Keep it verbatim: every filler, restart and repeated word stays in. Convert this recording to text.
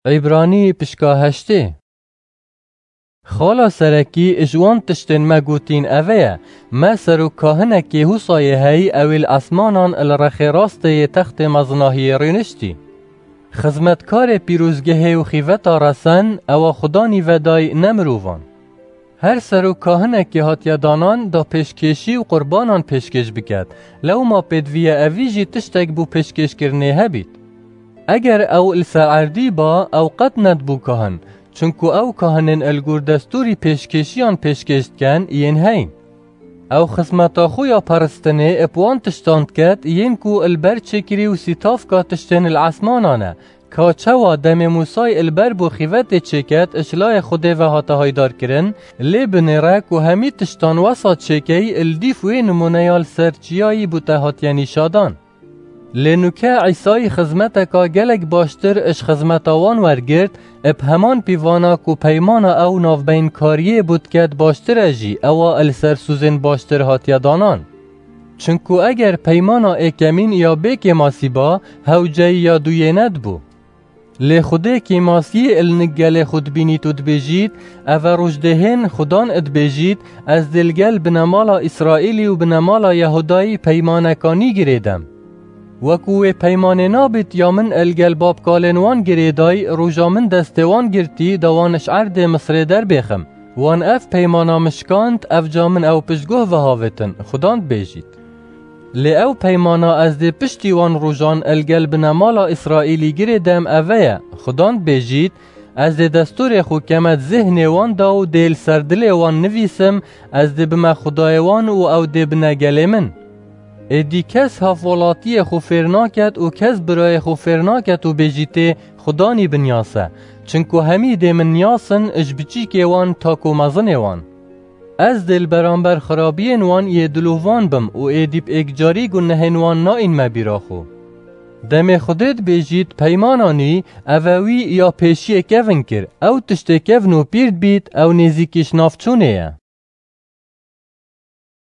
Îbranî pişka heştê. Xala serekî ji wan tiştên me gotîn eve ye, me serok kahinekê Hûsayê heyî, ew ê li esmanan li rexê rastê yê textê mezinahiyê rûniştî. Xizmetkarê pîrozgehê û xîveta resen, ewa Xudanî vedayî, ne mirovan. Her serok kahinekê hatiye danan da pêşkêşî û qurbanan pêşkêş biket, lewma pêdivî ye evî jî tiştek bo pêşkêşkirinê hebît. Eger ew li ser erdî ba, ew qet nedibû kahin, çunku ew kahinên li gor destûrî pêşkêşiyan pêşkêş diken yên heyn. Ew xizmeta xwe ya peristinê bi wan tiştan diket yên ku li ber çêkirî û sîtavka tiştên li esmanan e, ka çawa demê Mûsay li ber bo xîvetê çêket ji layê Xwedê ve hate haydarkirin, lê binêre ku hemî tiştan wesa çêkeyî li dîf wê nimûneya li ser çiyayî bûte hatiye nîşadan. Lê nûke Îsayî xizmeteka gelek baştir ji xizmeta wan wergirt, bi heman pîvana ku peymana ew navbeynkariyê bû diket baştir e jî, ewa li ser sûzên baştir hatiye danan. Çunku eger peymana êkemîn ya bê kêmasî ba, hewceyî ya duyê nedibû. Lê Xwedê kêmasiyê li nik gelê xwe dibînît û dibêjît, eve roj dê hên Xudan dibêjît, ez dê li gel binemala Îsraîlî û binemala Yehudayî peymaneka nî girêdem. Weku wê peymanê nabît ya min li gel babkalên wan girêdayî, roja min destê wan girtî da wan ji erdê Misrê derbêxim. Wan ev peymana min şikand, ev ca min ew piştguh vehavêtin, Xudan dibêjît. Lê ew peymana ez dê piştî wan rojan li gel binemala Îsraîlî girêdem eve ye, Xudan dibêjît, ez dê destûrê xwe keme di zêhnê wan da û dê li ser dilê wan nivîsim, ez dê bime Xwedayê wan û ew dê bine gelê min. Êdî kes hevwelatiyê xwe fêr naket û kes birayê xwe fêr naket û bêjîtê, Xudanî binyas e, çinku hemî dê min niyasin ji biçîkê wan ta ku mezinê wan. Ez dê li beramber xirabiyên wan yê dilovan bim û êdî bi êkcarî gunehên wan naînme bîra xwe. Demê Xwedê dibêjît, peymana nî, eve wî ya pêşiyê kevin kir, ew tiştê kevn û pîr dibît, ew nêzîkî ji nav çûnê ye.